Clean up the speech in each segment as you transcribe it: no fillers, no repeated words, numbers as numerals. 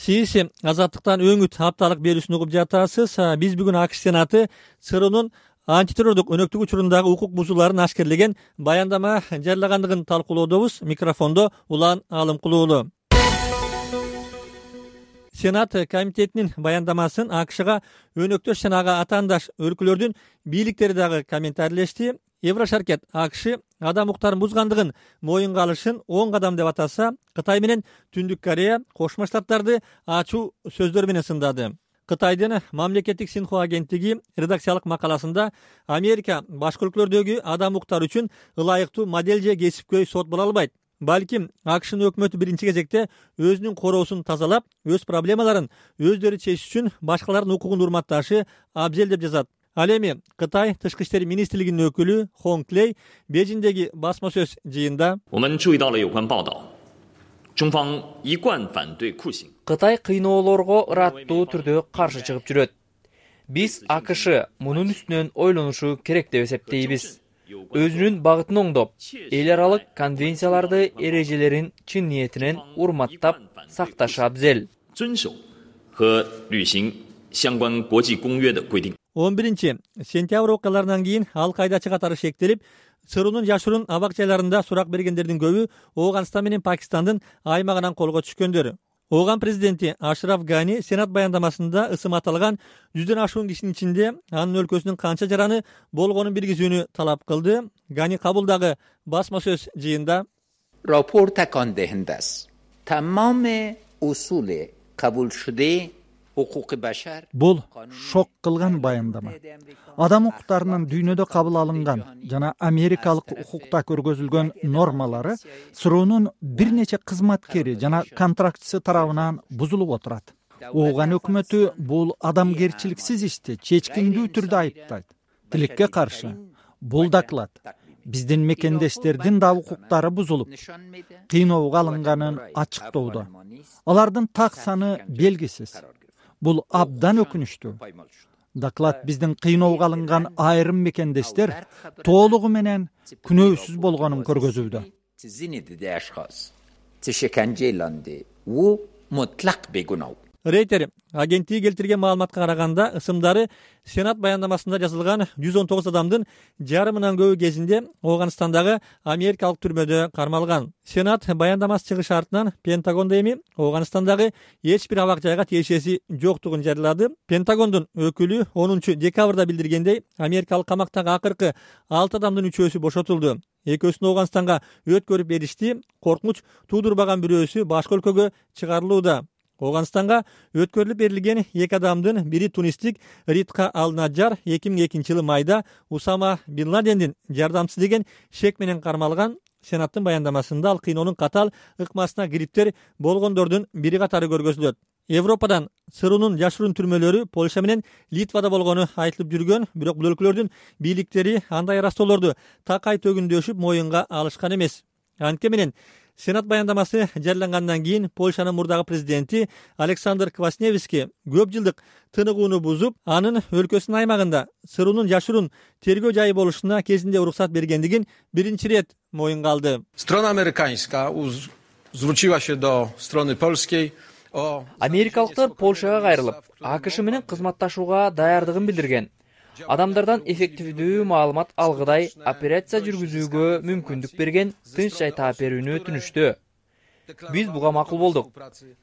Сиз Азаттыктан өңүт апталык берүүсүн угуп жатасыз. Биз бүгүн АКШ Сенаты ЦРУнун антитеррордук өнөктүк учурундагы укук бузууларын ашкерлеген баяндама жарыягандыгын талкуулоодобуз. Микрофондо Улан Алымкулуулу. Сенат комитетинин баяндамасын АКШга өнөктөш жана ага атаандаш өлкөлөрдүн бийликтери дагы комментарийлешти. Еврошаркет АКШ адам укуктарын бузгандыгын моюнга алышын оң кадам деп атаса, Кытай менен Түндүк Корея Кошмо Штаттарды ачуу сөздөр менен сындады. Кытайдын мамлекеттик Синхуа агенттиги редакциялык макаласында Америка башка өлкөлөрдөгү адам укуктары үчүн ылайыктуу модель же кесипкөй сот боло албайт. Балким АКШнын өкмөтү биринчи кезекте өзүнүн короосун тазалап, өз проблемаларын өздөрү чечиш үчүн башкалардын укугун урматташы абзел деп жазат. Ал эми Кытай тышкы иштер министрлигинин өкүлү Хонг Лей Бейжиңдеги басма сөз жыйында Кытай кыйноолорго ыраттуу түрдө каршы чыгып жүрөт. Биз АКШ мунун үстүнөн ойлонушу керек деп эсептейбиз. Өзүнүн багытын оңдоп, эл аралык конвенцияларды эрежелерин чын ниетинен урматтап сакташы абзел. 11 сентябрь окуяларынан кийин ал кайда чыгатары шектелип, ЦРУнун жашыруун абак жайларында сурак бергендердин көбү Ооганстан менен Пакистандын аймагынан колго түшкөндөр. Ооган президенти Ашраф Гани Сенат баяндамасында ысым аталган 100дөн ашуун кишинин ичинде анын өлкөсүнүн канча жараны болгонун билгизүүнү талап кылды. Гани Кабулдагы басма сөз жыйында راپور تکان دهنده است تمام اصول قبول شده حقوق بشر Бул шок кылган баяндама. Адам укуктарынын дүйнөдө кабыл алынган жана америкалык укукта көргөзүлгөн нормалары ЦРУнун бир нече кызматкери жана контрактчысы тарабынан бузулуп отурат. Ооган өкмөтү бул адамгерчиликсиз ишти чечкиндүү түрдө айыптайт. Тилекке каршы, бул доклад биздин мекендештердин да укуктары бузулуп, кыйноого алынганын ачыктоодо. Алардын так саны белгисиз. Бул абдан өкүнүчтүү. Доклад биздин кыйноого алынган айрым мекендештер толугу менен күнөөсүз болгонун көргөзүүдө. Рейтер агенттиги келтирген маалыматка караганда, ысымдары Сенат баяндамасында жазылган 119 адамдын жарымынан көбү кезинде Ооганстандагы америкалык түрмөдө кармалган. Сенат баяндамасы чыгыш артынан Пентагондо эми Ооганстандагы эч бир абак жайга тиешеси жоктугун жарыялады. Пентагондун өкүлү 10 декабрда билдиргендей, америкалык камактагы акыркы 6 адамдын 3-өсү бошотулду. Экөөсүн Ооганстанга өткөрүп беришти. Коркунуч туудурбаган бирөөсү башка өлкөгө чыгарылууда. Ооганстанга өткөрүлүп берилген 2 адамдын бири тунистик Ритка Ал-Наджар 2002 майда Усама Бин Ладендин жардамчысы деген шек менен кармалган. Сенаттын баяндамасында ал кыйноонун катал ыкмасына кириптер болгондордун бири катары көргөзүлөт. Европадан ЦРУнун жашыруун түрмөлөрү Польша менен Литвада болгону айтылып жүргөн, бирок бул өлкөлөрдүн бийликтери андай ырастоолорду такай төгүндөшүп моюнга алышкан эмес. Анткени менен Сенат баяндамасы жарыялангандан кийин Польшанын мурдагы президенти Александр Квасневский көп жылдык тыныгууну бузуп, анын өлкөсүнүн аймагында ЦРУнун жашыруун тергөө жайы болушуна кезинде уруксат бергендигин биринчи рет моюнга алды. Strona amerykańska zwróciła się do strony polskiej o Америкалыктар Польшага кайрылып, АКШ менен кызматташууга даярдыгын билдирген. Адамдардан эффективдүү маалымат алгыдай операция жүргүзүүгө мүмкүндүк берген тынч жай таап берүүнү өтүнүштү. Биз буга макул болдук.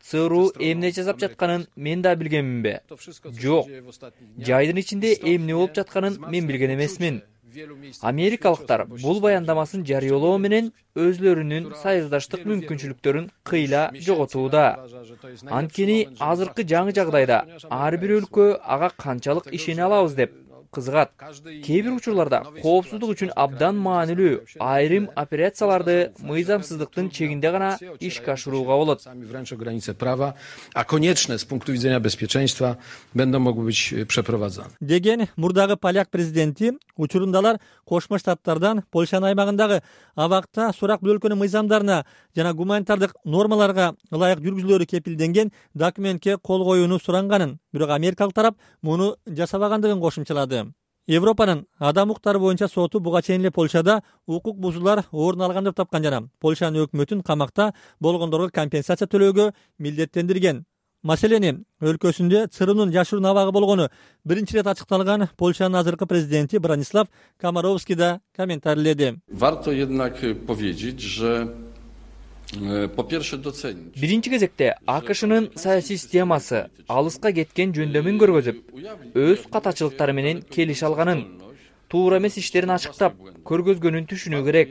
ЦРУ эмне жасап жатканын мен да билгенминби? Жок. Жайдын ичинде эмне болуп жатканын мен билген эмесмин. Америкалыктар бул баяндамасын жарыялоо менен өзлөрүнүн союздаштык мүмкүнчүлүктөрүн кыйла жоготууда. Анткени азыркы жаңы жагдайда ар бир өлкө ага канчалык ишене алабыз деп кызыгат. Кээ бир учурларда коопсуздук үчүн абдан маанилүү айрым операцияларды мыйзамсыздыктын чегинде гана ишке ашырууга болот. wręcz granice prawa, a konieczne z punktu widzenia bezpieczeństwa będą mogły być przeprowadzane. Деген мурдагы поляк президенти учурундалар Кошмо Штаттардан Польшанын аймагындагы абакта сурак бул өлкөнүн мыйзамдарына жана гуманитардык нормаларга ылайык жүргүзүлөрү кепилденген документке кол коюуну суранганын, бирок америкалык тарап муну жасабагандыгын кошумчалады. Европанын адам укуктары боюнча соту буга чейин эле Польшада укук бузуулар орун алган деп тапкан жана Польшанын өкмөтүн камакта болгондорго компенсация төлөөгө милдеттендирген. Маселени өлкөсүндө ЦРУнун жашыруун абагы болгону биринчи ирет ачыкталган Польшанын азыркы президенти Бронислав Комаровский да комментарийледи. Warto jednak powiedzieć, że po pierwsze docenić. Биринчи кезекте АКШнын саясий системасы алыска кеткен жөндөмүн көргөзүп, өз катачылыктары менен келише алганын, туура эмес иштерин ачыктап, көргөзгөнүн түшүнүү керек.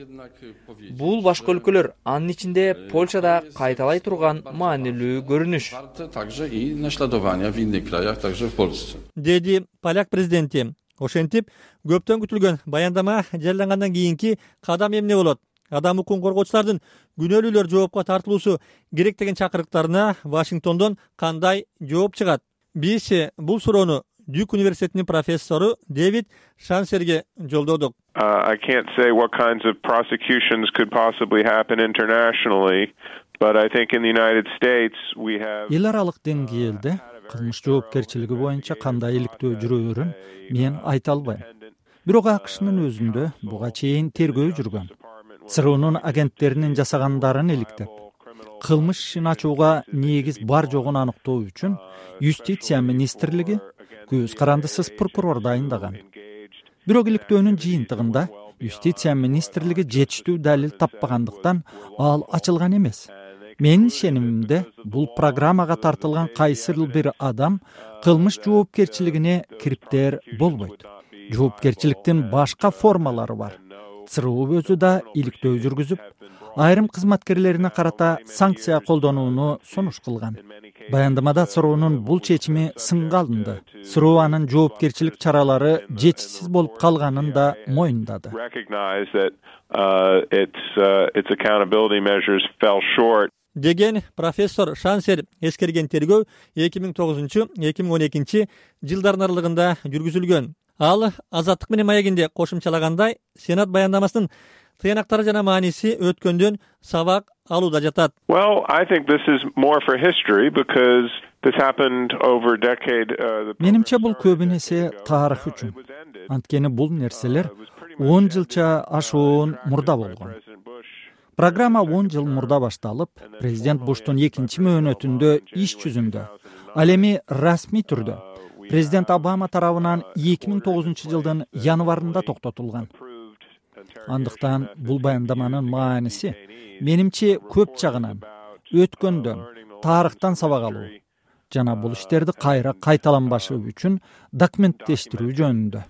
Бул башка өлкөлөр, анын ичинде Польшада кайталай турган маанилүү көрүнүш. Także i naśladowania w innych krajach, także w Polsce. Деди поляк президенти. Ошентип, көптөн күтүлгөн баяндама жарыялангандан кийинки кадам эмне болот? Адам укугун коргоочулардын күнөөлүүлөр жоопко тартылуусу керек деген чакырыктарына Вашингтондон кандай жооп чыгат? Биз бул суроону Дюк университетинин профессору Дэвид Шансерге жолдодук. I can't say what kinds of prosecutions could possibly happen internationally, but I think in the United States we have эл аралык деңгээлде кылмыш жоопкерчилиги боюнча кандай иликтөө жүрөөрүн мен айта албайм. Бирок АКШнын өзүндө буга чейин тергөө жүргөн. ЦРУнун агенттеринин жасагандарын иликтеп, кылмыш ишин ачууга негиз бар жогун аныктоо үчүн Юстиция министрлиги көз карандысыз прокурор дайындаган. Бирок иликтөөнүн жыйынтыгында Юстиция министрлиги жетиштүү далил таппагандыктан ал ачылган эмес. Менин ишенимимде бул программага тартылган кайсыл бир адам кылмыш жоопкерчилигине кириптер болбойт. Жоопкерчиликтин башка формалары бар. ЦРУ өзү да иликтөө жүргүзүп, айрым кызматкерлерине карата санкция колдонууну сунуш кылган. Баяндамада ЦРУнун бул чечими сынга алынды. ЦРУ анын жоопкерчилик чаралары жетишсиз болуп калганын да моюндады. Деген профессор Шансер эскерген тергөө 2009-2012 жылдардын аралыгында жүргүзүлгөн. Ал Азаттык менен маегинде кошумчалагандай, Сенат баяндамасынын тыянактары жана мааниси өткөндөн сабак алууда жатат. Well, I think this is more for history because this happened over a decade. Менимче бул көбүнесе тарых үчүн. Анткени бул нерселер 10 жылча ашуун мурда болгон. Программа 10 жыл мурда башталып, президент Буштун экинчи мөөнөтүндө иш жүзүндө, ал эми расмий түрдө президент Обама тарабынан 2009 жылдын январында токтотулган. Андыктан бул баяндаманын мааниси менимче көп жагынан өткөндөн, тарыхтан сабак алуу жана бул иштерди кайра кайталанбашы үчүн документтештирүү жөнүндө.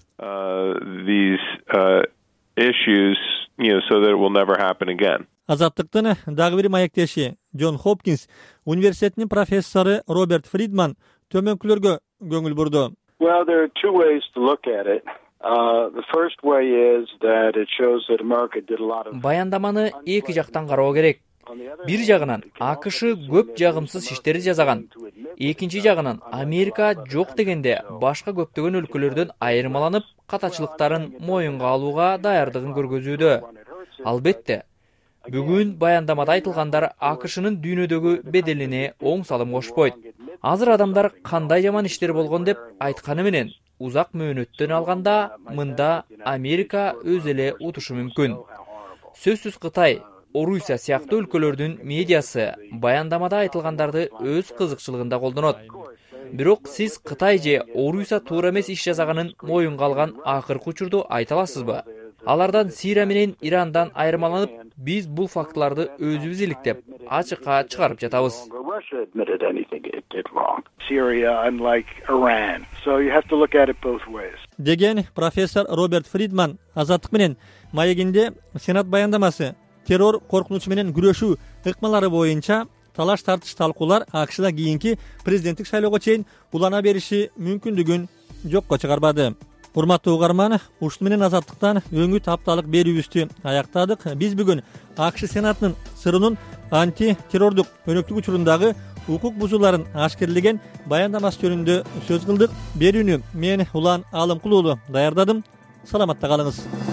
So that it will never happen again. Азаттыктын дагы бир маектеши Джон Хопкинс университетинин профессору Роберт Фридман төмөнкүлөргө көңүл бурду. Well, there are two ways to look at it. The first way is that it shows that America did a lot of Баяндаманы эки жактан кароо керек. Бир жагынан АКШ көп жагымсыз иштерди жасаган. Экинчи жагынан Америка жок дегенде башка көптөгөн өлкөлөрдөн айырмаланып, катачылыктарын моюнга алууга даярдыгын көргөзүүдө. Албетте, бүгүн баяндамада айтылгандар АКШнын дүйнөдөгү беделине оң салым кошпойт. Азыр адамдар кандай жаман иштер болгон деп айтканы менен узак мөөнөттөн алганда мында Америка өз эле утушу мүмкүн. Сөзсүз Кытай, Орусия сыяктуу өлкөлөрдүн медиасы баяндамада айтылгандарды өз кызыкчылыгында колдонот. Бирок сиз Кытай же Орусия туура эмес иш жасаганын моюнга алган акыркы учурду айта аласызбы? Алардан Сирия менен Ирандан айырмаланып, биз бул фактыларды өзүбүз иликтеп, ачыкка чыгарып жатабыз. Деген профессор Роберт Фридман Азаттык менен маегинде Сенат баяндамасы террор коркунучу менен күрөшүү ыкмалары боюнча талаш тартыш талкуулар АКШда кийинки президенттик шайлоого чейин улана бериши мүмкүндүгүн жокко чыгарбады. Урматтуу угарман, ушуну менен Азаттыктан өңүт апталык берүүбүздү аяктадык. Биз бүгүн АКШ Сенатынын ЦРУнун анти-террордук өнөктүк учурундагы укук бузууларын ашкерлеген баяндамасы жөнүндө сөз кылдык. Берүүнү мен Улан Алымкулуу даярдадым. Саламатта калыңыз.